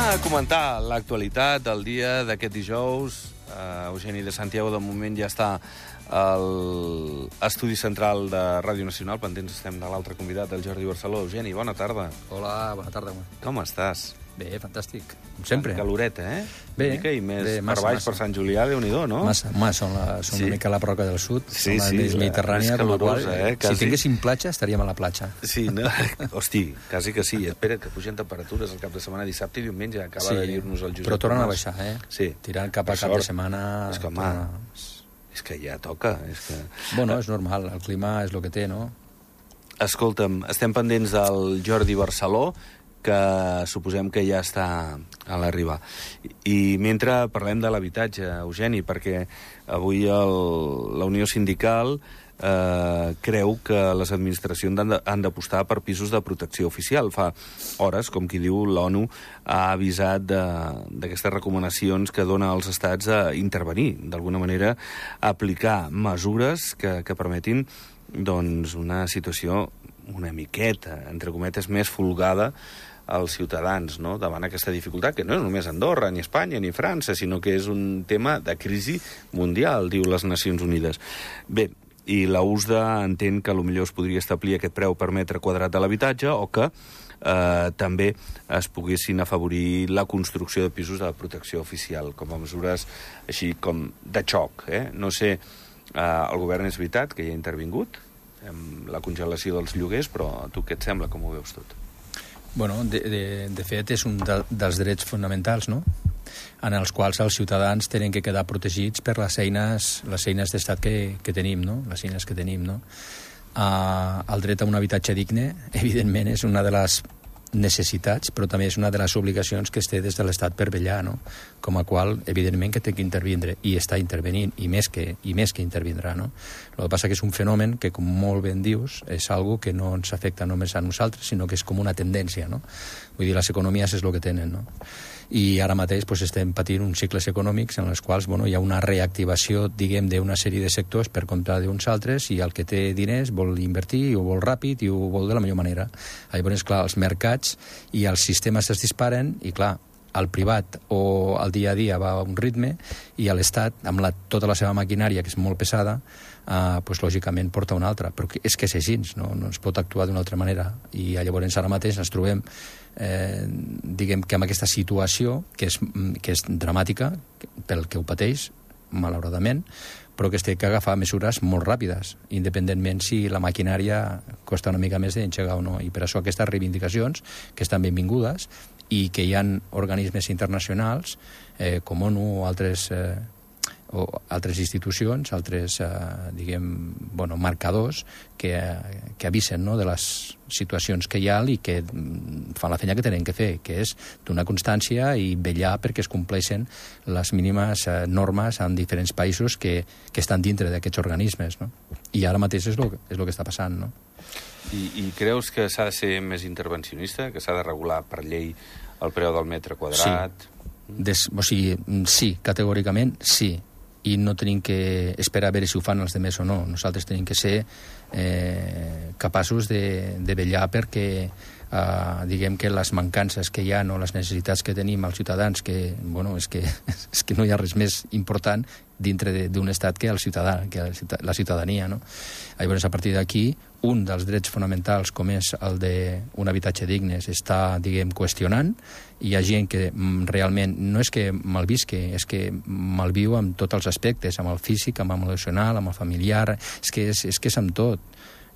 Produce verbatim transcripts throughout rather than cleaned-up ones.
a comentar l'actualitat del dia d'aquest dijous. Uh, Eugeni de Santiago, de moment, ja està al estudi central de Ràdio Nacional. Pendents estem de l'altre convidat, el Jordi Barceló. Eugeni, bona tarda. Hola, bona tarda. Com estàs? Bé, fantàstic, com sempre. Caloreta, eh? Bé. Una mica, i més bé, massa, per baix, massa. per Sant Julià, Déu-n'hi-do, no? Massa, massa, són, la, són Sí. una mica la Roca del Sud, Sí, són la sí, més la- mediterrània, més amb la qual, calorosa, eh, quasi. si tinguéssim platja, estaríem a la platja. Sí, no? Hosti, quasi que sí. Espera, que pugen temperatures el cap de setmana, dissabte i diumenge. Acaba Sí, de dir-nos el Josep però tornen a Tomàs. baixar, eh? Sí. Tirant cap a Per cap de sort. setmana... És que, home, torna- és que ja toca. És que... Bueno, és normal, el clima és el que té, no? Escolta'm, estem pendents del Jordi Barceló, que suposem que ja està a l'arribar. I mentre parlem de l'habitatge, Eugeni, perquè avui el, la Unió Sindical eh, creu que les administracions han de- han d'apostar per pisos de protecció oficial. Fa hores, com qui diu, l'ONU ha avisat de- d'aquestes recomanacions que dona als estats a intervenir, d'alguna manera, a aplicar mesures que, que permetin doncs, una situació una miqueta, entre cometes, més folgada als ciutadans, no?, davant aquesta dificultat, que no és només Andorra, ni Espanya, ni França, sinó que és un tema de crisi mundial, diu les Nacions Unides. Bé, i la U S D A entén que potser es podria establir aquest preu per metre quadrat de l'habitatge o que eh, també es poguessin afavorir la construcció de pisos de protecció oficial, com a mesures així com de xoc. Eh? No sé, eh, el govern és veritat que hi ha intervingut amb la congelació dels lloguers, però a tu què et sembla, com ho veus tot? Bueno, de, de, de fet, és un de, dels drets fonamentals, no?, en els quals els ciutadans tenen que quedar protegits per les eines, les eines d'estat que, que tenim, no?, les eines que tenim, no? Uh, el dret a un habitatge digne, evidentment, és una de les necessitats, però també és una de les obligacions que es té des de l'Estat per vetllar, no?, com a qual, evidentment, que té que intervindre, i està intervenint, i més que, i més que intervindrà, no? El que passa que és un fenomen que, com molt ben dius, és algo que no ens afecta només a nosaltres, sinó que és com una tendència, no? Vull dir, les economies és el que tenen, no? I ara mateix pues, estem patint uns cicles econòmics en els quals bueno, hi ha una reactivació, diguem, d'una sèrie de sectors per compte d'uns altres, i el que té diners vol invertir, i ho vol ràpid, i ho vol de la millor manera. Llavors, clar, els mercats i els sistemes es disparen, i clar, el privat o el dia a dia va a un ritme, i l'Estat, amb la, tota la seva maquinària, que és molt pesada, eh, pues, lògicament porta una altra. Però és que és així, no, no es pot actuar d'una altra manera. I llavors ara mateix ens trobem eh, diguem que amb aquesta situació, que és, que és dramàtica pel que ho pateix, malauradament, però que es té que agafar mesures molt ràpides, independentment si la maquinària costa una mica més d'engegar o no. I per això aquestes reivindicacions, que estan benvingudes, i que hi ha organismes internacionals, eh, com ONU o altres, eh, o altres institucions, altres, eh, diguem, bueno, marcadors, que, que avisen, no?, de les situacions que hi ha i que fan la feina que tenen que fer, que és donar constància i vetllar perquè es compleixen les mínimes eh, normes en diferents països que, que estan dintre d'aquests organismes, no? I ara mateix és el és lo que està passant, no? I, i creus que s'ha de ser més intervencionista, que s'ha de regular per llei el preu del metre quadrat? Sí, Des, o sigui, sí, categòricament sí, i no tenim que esperar a veure si ho fan els demés o no. Nosaltres tenim que ser eh, capaços de, de vetllar perquè eh, diguem que les mancances que hi ha, no, les necessitats que tenim els ciutadans, que, bueno, és que, és que no hi ha res més important dintre d'un estat que el ciutadà, que la ciutadania, no? Llavors, a partir d'aquí, un dels drets fonamentals, com és el d'un habitatge digne, s'està, diguem, qüestionant. Hi ha gent que mm, realment no és que malvisque, és que malviu amb tots els aspectes, amb el físic, amb l'emocional, amb el familiar, és que és, és, que és amb tot.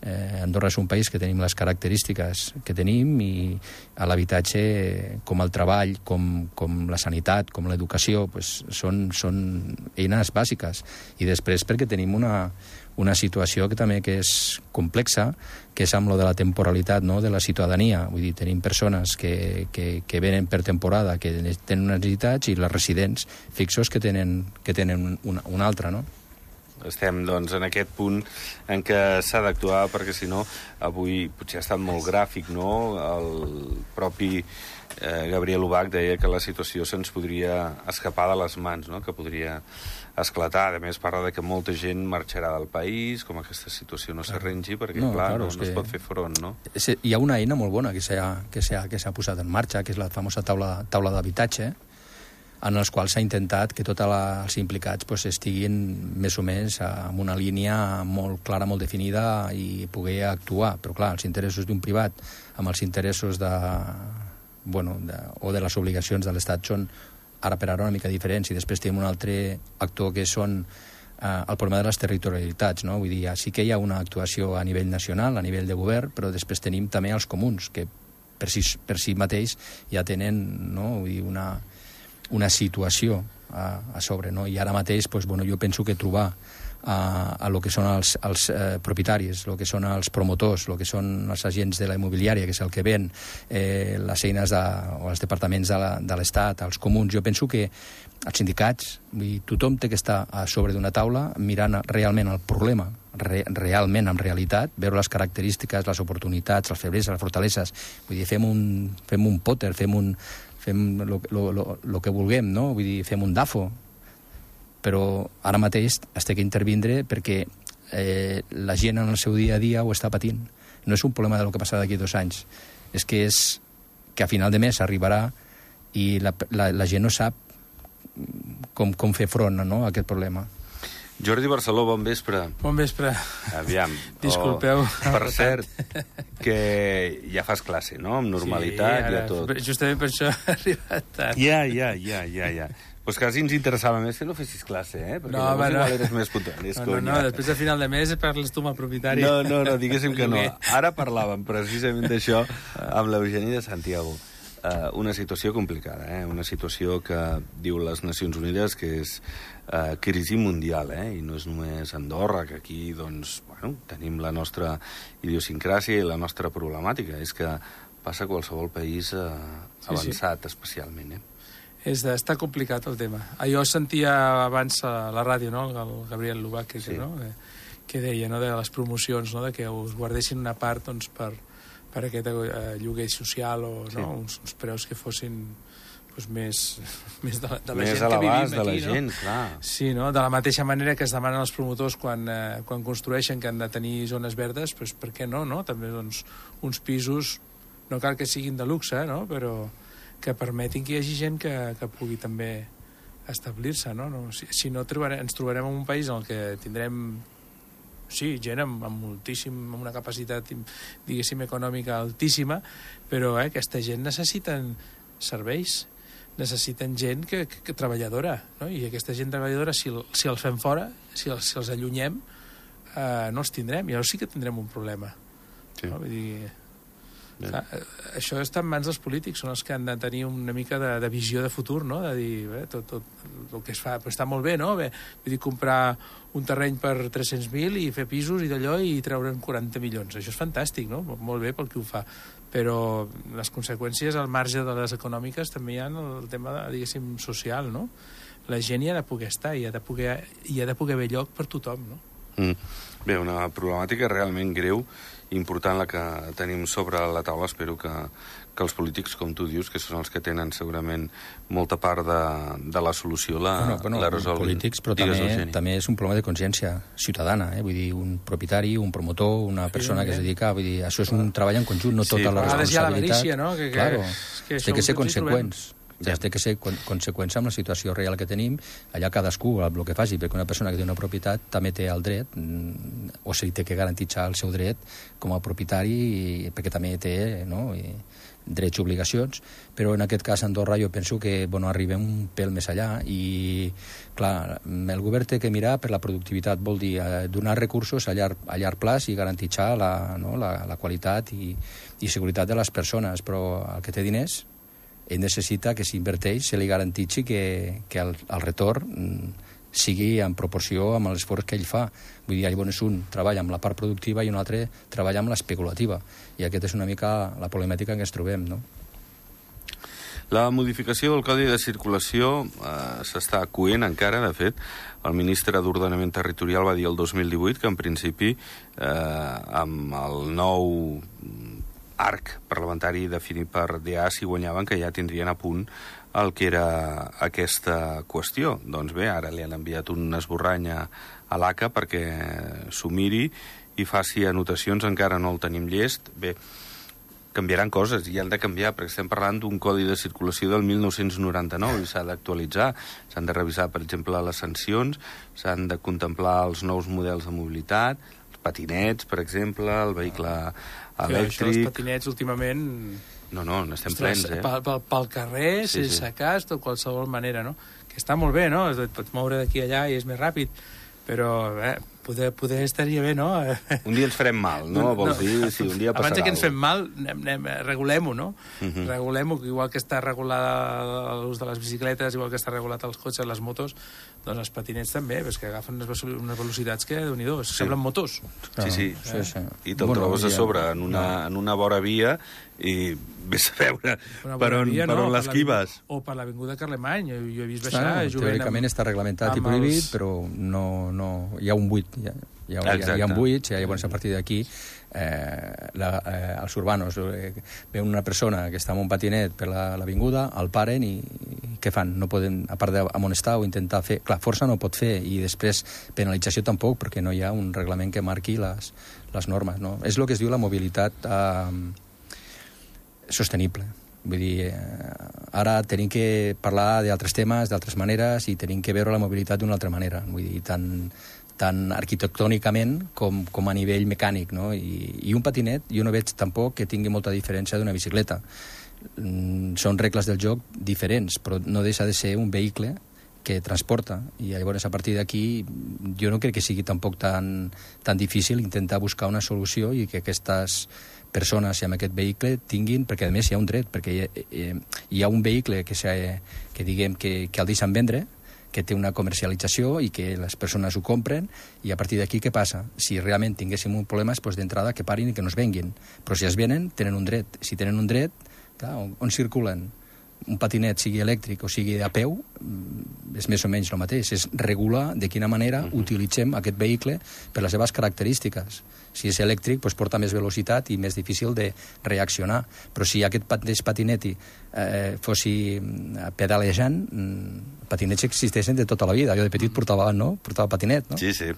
Eh, Andorra és un país que tenim les característiques que tenim, i a l'habitatge, com el treball, com, com la sanitat, com l'educació, pues, són, són eines bàsiques. I després perquè tenim una, una situació que també que és complexa, que és amb lo de la temporalitat, no?, de la ciutadania. Vull dir, tenim persones que, que, que venen per temporada, que tenen unes necessitats, i les residents fixos que tenen, que tenen una, una altra, no? estem doncs, en aquest punt en què s'ha d'actuar, perquè si no, avui potser ha estat molt gràfic, no? El propi eh, Gabriel Ubach deia que la situació se'ns podria escapar de les mans, no? Que podria esclatar. A més, parla de que molta gent marxarà del país, com aquesta situació no s'arrengi, perquè, no, clar, claro, no, no es pot fer front, no? Hi ha una eina molt bona que s'ha que s'ha que s'ha posat en marxa, que és la famosa taula, taula d'habitatge, en els quals s'ha intentat que tots els implicats pues, estiguin més o menys en una línia molt clara, molt definida i poder actuar. Però, clar, els interessos d'un privat amb els interessos de, bueno, de, o de les obligacions de l'Estat són ara per ara una mica diferents, i després tenim un altre actor que són eh, el problema de les territorialitats, no? Vull dir, sí que hi ha una actuació a nivell nacional, a nivell de govern, però després tenim també els comuns, que per si, per si mateix ja tenen, no? Vull dir, una, una situació a, a sobre, no? I ara mateix, pues, bueno, jo penso que trobar a, a lo que són els, els eh, propietaris, el que són els promotors, el que són els agents de la immobiliària, que és el que ven eh, les eines de, o els departaments de l'Estat, els comuns. Jo penso que els sindicats, vull dir, tothom té que estar a sobre d'una taula mirant realment el problema, re, realment, en realitat, veure les característiques, les oportunitats, les febleses, les fortaleses. Vull dir, fem un, fem un pòter, fem un fem el que vulguem, no? Vull dir, fem un DAFO, però ara mateix es té que intervindre perquè eh, la gent en el seu dia a dia ho està patint. No és un problema del que passarà d'aquí dos anys, és que és que a final de mes arribarà i la, la, la gent no sap com, com fer front, no, a aquest problema. Jordi Barceló, bon vespre. Bon vespre. Aviam. Disculpeu. Oh, per cert, que ja fas classe, no? Amb normalitat, sí, ara, ja tot. Justament per això he arribat tard. Ja, ja, ja, ja, ja. Pues quasi ens interessava més que no fessis classe, eh? Perquè no, llavors no. igual eres més puntual. No, no, no, després de final de mes parles tu amb el propietari. No, no, no, diguéssim que no. Ara parlàvem precisament d'això amb l'Eugeni de Santiago. Uh, una situació complicada, eh? Una situació que diu les Nacions Unides que és uh, crisi mundial, eh? I no és només Andorra, que aquí, doncs, bueno, tenim la nostra idiosincràsia i la nostra problemàtica. És que passa a qualsevol país uh, avançat, sí, sí. Especialment, eh? És de, està complicat el tema. Jo sentia abans a la ràdio, no?, el Gabriel Ubach, que, sí. no? que, que deia, no?, de les promocions, no?, de que us guardessin una part, doncs, per, per aquest eh, lloguer social o sí. no? uns, uns preus que fossin doncs, més, més de, de la més gent que vivim aquí. Més a l'abast de la no? gent, clar. Sí, no? De la mateixa manera que es demanen els promotors quan, eh, quan construeixen que han de tenir zones verdes, doncs per què no? no? També doncs, uns pisos, no cal que siguin de luxe, no? Però que permetin que hi hagi gent que, que pugui també establir-se, no? no si, si no, trobarem, ens trobarem en un país en el que tindrem, sí, gent amb, amb moltíssim, amb una capacitat, diguéssim, econòmica altíssima, però eh, aquesta gent necessiten serveis, necessiten gent que, que, que treballadora, no? I aquesta gent treballadora, si, si els fem fora, si els, si els allunyem, eh, no els tindrem, i llavors sí que tindrem un problema. Sí. No? Vull dir, clar, això està en mans dels polítics, són els que han de tenir una mica de, de visió de futur, no? De dir, bé, tot, tot el que es fa, però està molt bé, no? Bé, vull dir, comprar un terreny per tres-cents mil i fer pisos i d'allò i treure'n quaranta milions. Això és fantàstic, no? Molt bé pel qui ho fa. Però les conseqüències al marge de les econòmiques també hi ha el tema, de, diguéssim, social, no? La gent hi ha de poder estar, hi ha de poder, hi ha de poder haver lloc per tothom, no? Mm. Bé, una problemàtica realment greu, important la que tenim sobre la taula. Espero que, que els polítics, com tu dius, que són els que tenen segurament molta part de, de la solució, la, bueno, bueno, la resolguin. Polítics, però també, també és un problema de consciència ciutadana, eh? Vull dir, un propietari, un promotor, una persona que es dedica, vull dir, això és un treball en conjunt, no tota sí, la responsabilitat. No? Que, que, claro, que té que ser conseqüents. Ja té que ser conseqüència amb la situació real que tenim, allà cadascú el que faci, perquè una persona que té una propietat també té el dret, o sigui, té que garantitzar el seu dret com a propietari, i, perquè també té, no?, i, drets i obligacions, però en aquest cas a Andorra jo penso que bueno, arribem un pèl més allà i, clar, el govern té que mirar per la productivitat, vol dir eh, donar recursos a llarg, a llarg plaç i garantitzar la, no, la, la qualitat i, i seguretat de les persones, però el que té diners ell necessita que s'inverteix, se li garantitzi que, que el, el retorn sigui en proporció amb l'esforç que ell fa. Vull dir, llavors un treballa amb la part productiva i un altre treballa amb l'especulativa. I aquesta és una mica la problemàtica en què ens trobem, no? La modificació del Codi de Circulació eh, s'està coent encara, de fet. El ministre d'Ordenament Territorial va dir el dos mil divuit que, en principi, eh, amb el nou arc parlamentari definit per D A, si guanyaven, que ja tindrien a punt el que era aquesta qüestió. Doncs bé, ara li han enviat un esborrany a, a l'A C A perquè s'ho miri i faci anotacions, encara no el tenim llest. Bé, canviaran coses i han de canviar, perquè estem parlant d'un codi de circulació del mil nou-cents noranta-nou i s'ha d'actualitzar. S'han de revisar, per exemple, les sancions, s'han de contemplar els nous models de mobilitat, els patinets, per exemple, el vehicle elèctric... Això, els patinets, últimament... No, no, n'estem plens, eh? Pel, pel, pel carrer, sí, sense sí. cas, de qualsevol manera, no? Que està molt bé, no? Et pots moure d'aquí allà i és més ràpid, però eh, poder, poder estaria bé, no? Un dia ens farem mal, no? no Vols no. dir? Sí, un dia passarà. Abans que ens fem mal, anem, anem, regulem-ho, no? Uh -huh. Regulem-ho, igual que està regulada l'ús de les bicicletes, igual que està regulat els cotxes, les motos, doncs els patinets també, perquè que agafen unes, unes velocitats que, déu-n'hi-do, sí. semblen motos. Sí, sí. sí, sí. I te'l bueno, trobes a sobre, en una, en una vora via, i vés a veure per on, via, per on no, l'esquives. O per l'avinguda Carlemany, jo, jo he vist baixar... Clar, teòricament amb, està reglamentat i prohibit, els... però no, no, hi ha un buit, hi ha, hi ha, hi ha, hi ha un buit, i llavors a partir d'aquí eh, la, eh, els urbanos eh, veuen una persona que està amb un patinet per l'avinguda, el paren i, i què fan? No poden, a part d'amonestar o intentar fer... Clar, força no pot fer, i després penalització tampoc, perquè no hi ha un reglament que marqui les, les normes, no? És el que es diu la mobilitat eh, sostenible. Vull dir, eh, ara tenim que parlar d'altres temes, d'altres maneres, i tenim que veure la mobilitat d'una altra manera. Vull dir, tant, tant arquitectònicament com, com a nivell mecànic, no? I, I un patinet, jo no veig tampoc que tingui molta diferència d'una bicicleta. Mm, són regles del joc diferents, però no deixa de ser un vehicle que transporta, i llavors a partir d'aquí jo no crec que sigui tampoc tan, tan difícil intentar buscar una solució i que aquestes persones i amb aquest vehicle tinguin, perquè a més hi ha un dret, perquè hi ha, eh, hi ha un vehicle que, que diguem que, que el deixen vendre, que té una comercialització i que les persones ho compren, i a partir d'aquí què passa? Si realment tinguéssim un problema, doncs d'entrada que parin i que no es venguin. Però si es venen, tenen un dret. Si tenen un dret, clar, on, on circulen? Un patinet, sigui elèctric o sigui a peu, és més o menys el mateix. És regular de quina manera uh-huh. utilitzem aquest vehicle per les seves característiques. Si és elèctric, doncs porta més velocitat i més difícil de reaccionar. Però si aquest patinet eh, fossi pedalejant, patinets existeixen de tota la vida. Jo de petit portava, no? portava patinet, no? Sí, sí.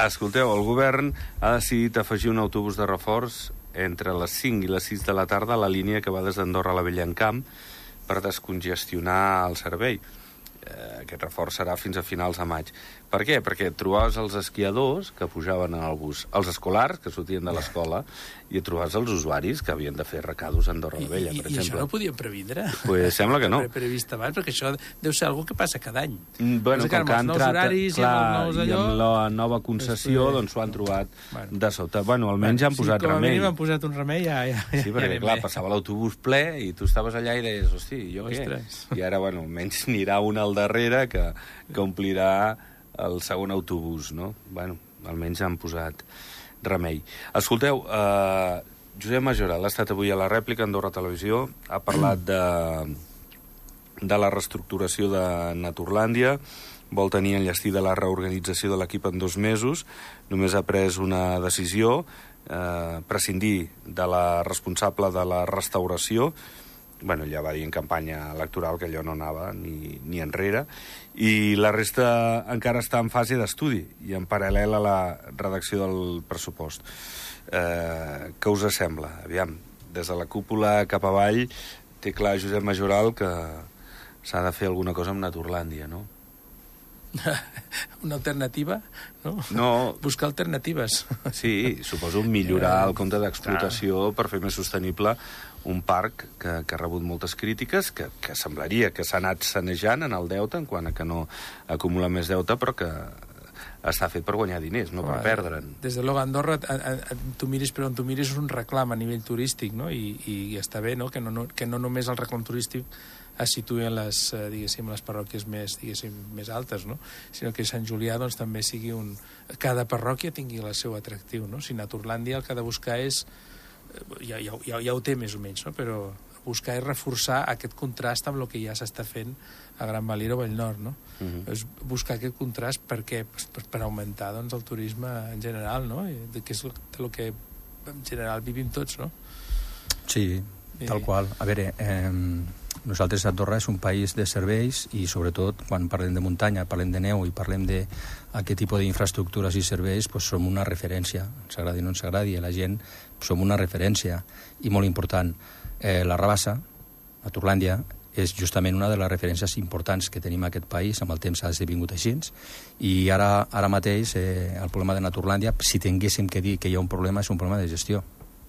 Escolteu, el govern ha decidit afegir un autobús de reforç entre les cinc i les sis de la tarda a la línia que va des d'Andorra a la Bellancamp per descongestionar el servei. Eh, aquest reforç serà fins a finals de maig. Per què? Perquè trobaves els esquiadors que pujaven en el bus, els escolars que sortien de l'escola, i trobaves els usuaris que havien de fer recados a Andorra la Vella, I, per i, exemple. I això no ho podien previndre? Pues sembla que no. Pre previst abans, perquè això deu ser algo que passa cada any. Mm, bueno, com que, que han entrat, horaris, clar, i amb, els allò, i amb la nova concessió, pues, doncs s'ho han trobat bueno. de sota. Bueno, almenys bueno, han posat sí, com a remei. mínim han posat un remei, ja... ja sí, perquè, ja clar, passava l'autobús ple i tu estaves allà i deies, hosti, jo què? I ara, bueno, almenys n'irà un al darrere que, que omplirà el segon autobús, no? Bueno, almenys han posat remei. Escolteu, eh, Josep Majoral ha estat avui a la rèplica a Andorra Televisió, ha parlat de, de la reestructuració de Naturlàndia, vol tenir enllestida la reorganització de l'equip en dos mesos, només ha pres una decisió, eh, prescindir de la responsable de la restauració. Bueno, ja va dir en campanya electoral que allò no anava ni, ni enrere, i la resta encara està en fase d'estudi i en paral·lel a la redacció del pressupost. Eh, què us sembla? Aviam, des de la cúpula cap avall té clar Josep Majoral que s'ha de fer alguna cosa amb Naturlàndia, no? Una alternativa, no? No. Buscar alternatives. Sí, suposo millorar el compte d'explotació per fer més sostenible un parc que, que ha rebut moltes crítiques, que, que semblaria que s'ha anat sanejant en el deute, en quant a que no acumula més deute, però que està fet per guanyar diners, no per perdre'n. Des de l'Oga Andorra, a, a, a, tu miris per on tu miris, és un reclam a nivell turístic, no? I, i està bé, no? Que, no, no, que no només el reclam turístic es situï en les, eh, diguéssim, les parròquies més, diguéssim, més altes, no? Sinó que Sant Julià, doncs, també sigui un... Cada parròquia tingui el seu atractiu, no? Si Naturlàndia el que ha de buscar és... Ja, ja, ja, ja ho té més o menys, no? Però buscar i reforçar aquest contrast amb el que ja s'està fent a Gran Valira o Vallnord, no? Uh-huh. És buscar aquest contrast per què? Per, per augmentar doncs, el turisme en general, no? I que és el que en general vivim tots, no? Sí, tal qual. A veure, eh, nosaltres a Andorra és un país de serveis i sobretot quan parlem de muntanya, parlem de neu i parlem d'aquest tipus d'infraestructures i serveis, doncs som una referència, ens agradi o no ens agradi, la gent som una referència i molt important. Eh, la Rabassa, a Turlàndia, és justament una de les referències importants que tenim a aquest país, amb el temps ha esdevingut així, i ara, ara mateix eh, el problema de Naturlàndia, si tinguéssim que dir que hi ha un problema, és un problema de gestió.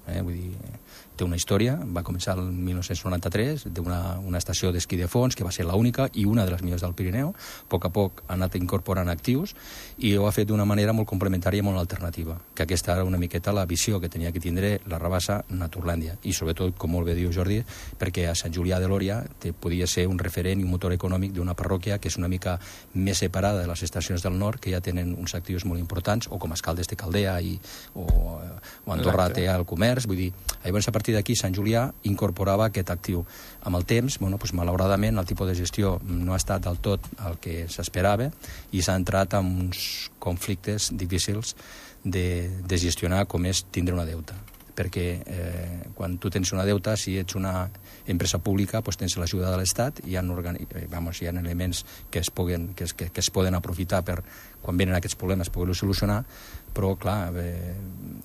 Eh? Vull dir, té una història, va començar el mil nou-cents noranta-tres, té una, una estació d'esquí de fons, que va ser l'única i una de les millors del Pirineu. A poc a poc ha anat incorporant actius i ho ha fet d'una manera molt complementària i molt alternativa, que aquesta era una miqueta la visió que tenia que tindre la Rabassa Naturlàndia. I sobretot, com molt bé diu Jordi, perquè a Sant Julià de Lòria te podia ser un referent i un motor econòmic d'una parròquia que és una mica més separada de les estacions del nord, que ja tenen uns actius molt importants, o com Escaldes té Caldea i, o, o Andorra té el comerç. Vull dir, llavors a partir d'aquí Sant Julià incorporava aquest actiu. Amb el temps, bueno, doncs, malauradament, el tipus de gestió no ha estat del tot el que s'esperava i s'ha entrat en uns conflictes difícils de, de gestionar, com és tindre una deuta. Perquè eh, quan tu tens una deuta, si ets una empresa pública, doncs tens l'ajuda de l'Estat i hi ha, organi... Vamos, hi ha elements que es, puguen, que, es, que, que es poden aprofitar per, quan venen aquests problemes, poder-los solucionar, però, clar, eh,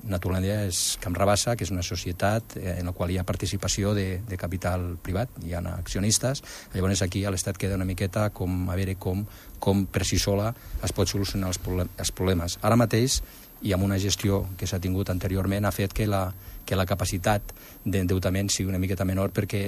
Naturlàndia és Camp Rabassa, que és una societat eh, en la qual hi ha participació de, de capital privat, hi ha accionistes, llavors aquí a l'Estat queda una miqueta com a veure com, com per si sola es pot solucionar els, problem els problemes. Ara mateix, i amb una gestió que s'ha tingut anteriorment, ha fet que la, que la capacitat d'endeutament sigui una miqueta menor perquè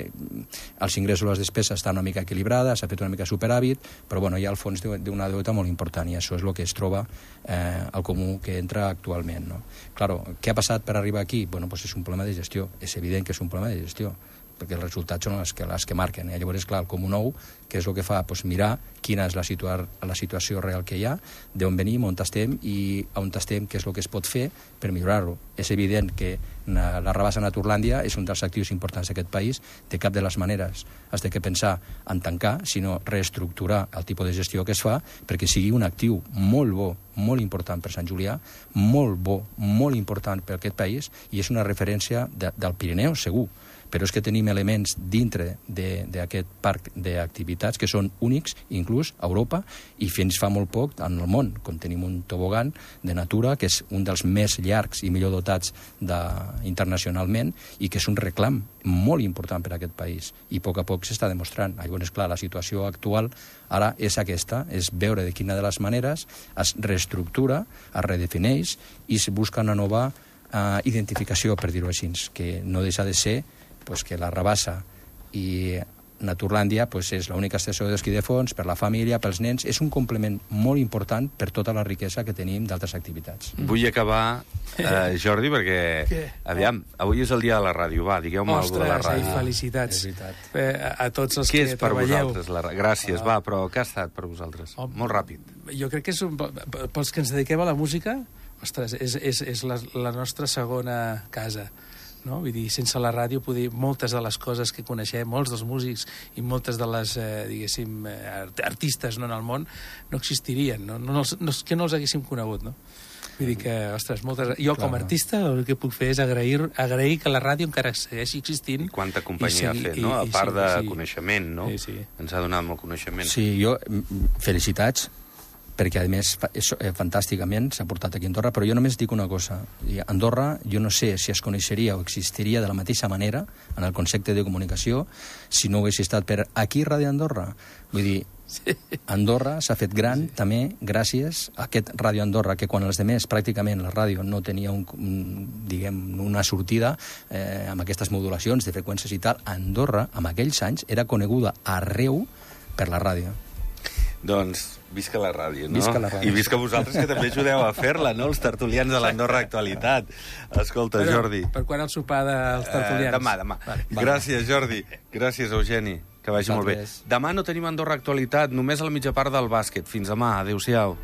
els ingressos i les despeses estan una mica equilibrades, s'ha fet una mica superàvit, però bueno, hi ha el fons d'una deuta molt important i això és el que es troba eh, al comú que entra actualment. No? Claro, què ha passat per arribar aquí? Bueno, pues és un problema de gestió, és evident que és un problema de gestió, perquè els resultats són les que, les que marquen. I llavors, clar, el Comú Nou, que és el que fa? Pues mirar quina és la, situa la situació real que hi ha, d'on venim, on estem i on estem, què és el que es pot fer per millorar-ho. És evident que la Rabassa Naturlàndia és un dels actius importants d'aquest país. De cap de les maneres has de que pensar en tancar, sinó reestructurar el tipus de gestió que es fa perquè sigui un actiu molt bo, molt important per Sant Julià, molt bo, molt important per aquest país i és una referència de, del Pirineu, segur. Però és que tenim elements dintre d'aquest parc d'activitats que són únics, inclús a Europa, i fins fa molt poc en el món, com tenim un tobogan de natura, que és un dels més llargs i millor dotats de, internacionalment, i que és un reclam molt important per a aquest país, i a poc a poc s'està demostrant. Llavors, clar, la situació actual ara és aquesta, és veure de quina de les maneres es reestructura, es redefineix, i es busca una nova eh, identificació, per dir-ho així, que no deixa de ser pues que la Rabassa i Naturlàndia pues és l'única estació d'esquí de fons per la família, pels nens. És un complement molt important per tota la riquesa que tenim d'altres activitats. Mm. Vull acabar, eh, Jordi, perquè... Què? Aviam, avui és el dia de la ràdio. Va, digueu-me alguna de la ràdio. Ostres, felicitats. Eh, a, a tots els Què que és per treballeu. vosaltres? La... Gràcies, ah. va, però què ha estat per vosaltres? Oh, molt ràpid. Jo crec que és un... pels que ens dediquem a la música, ostres, és, és, és la, la nostra segona casa. No? Vull dir, sense la ràdio, poder, moltes de les coses que coneixem, molts dels músics i moltes de les, eh, diguéssim, art artistes no, en el món, no existirien, no? No, no, que no els haguéssim conegut, no? Vull dir que, ostres, moltes... Jo, com a artista, el que puc fer és agrair, agrair que la ràdio encara segueixi existint. I quanta companyia ha fet, no? A part de coneixement, no? Sí, sí. Ens ha donat molt coneixement. Sí, jo... Felicitats, perquè, a més, és, eh, fantàsticament s'ha portat aquí a Andorra, però jo només dic una cosa. Andorra, jo no sé si es coneixeria o existiria de la mateixa manera en el concepte de comunicació si no hagués estat per aquí Ràdio Andorra. Vull dir, Andorra s'ha fet gran sí. també gràcies a aquest Ràdio Andorra, que quan els demés pràcticament la ràdio no tenia un, un, diguem, una sortida eh, amb aquestes modulacions de freqüències i tal, Andorra, en aquells anys, era coneguda arreu per la ràdio. Doncs visca la ràdio, no? Visca la ràdio. I visca vosaltres, que també ajudeu a fer-la, no? Els tertulians de l'Andorra Actualitat. Escolta, Però, Jordi... Per quan el sopar dels tertulians? Uh, demà, demà. Vale. Gràcies, Jordi. Gràcies, Eugeni. Que vagi molt bé. Demà no tenim Andorra Actualitat, només a la mitja part del bàsquet. Fins demà. Adéu-siau.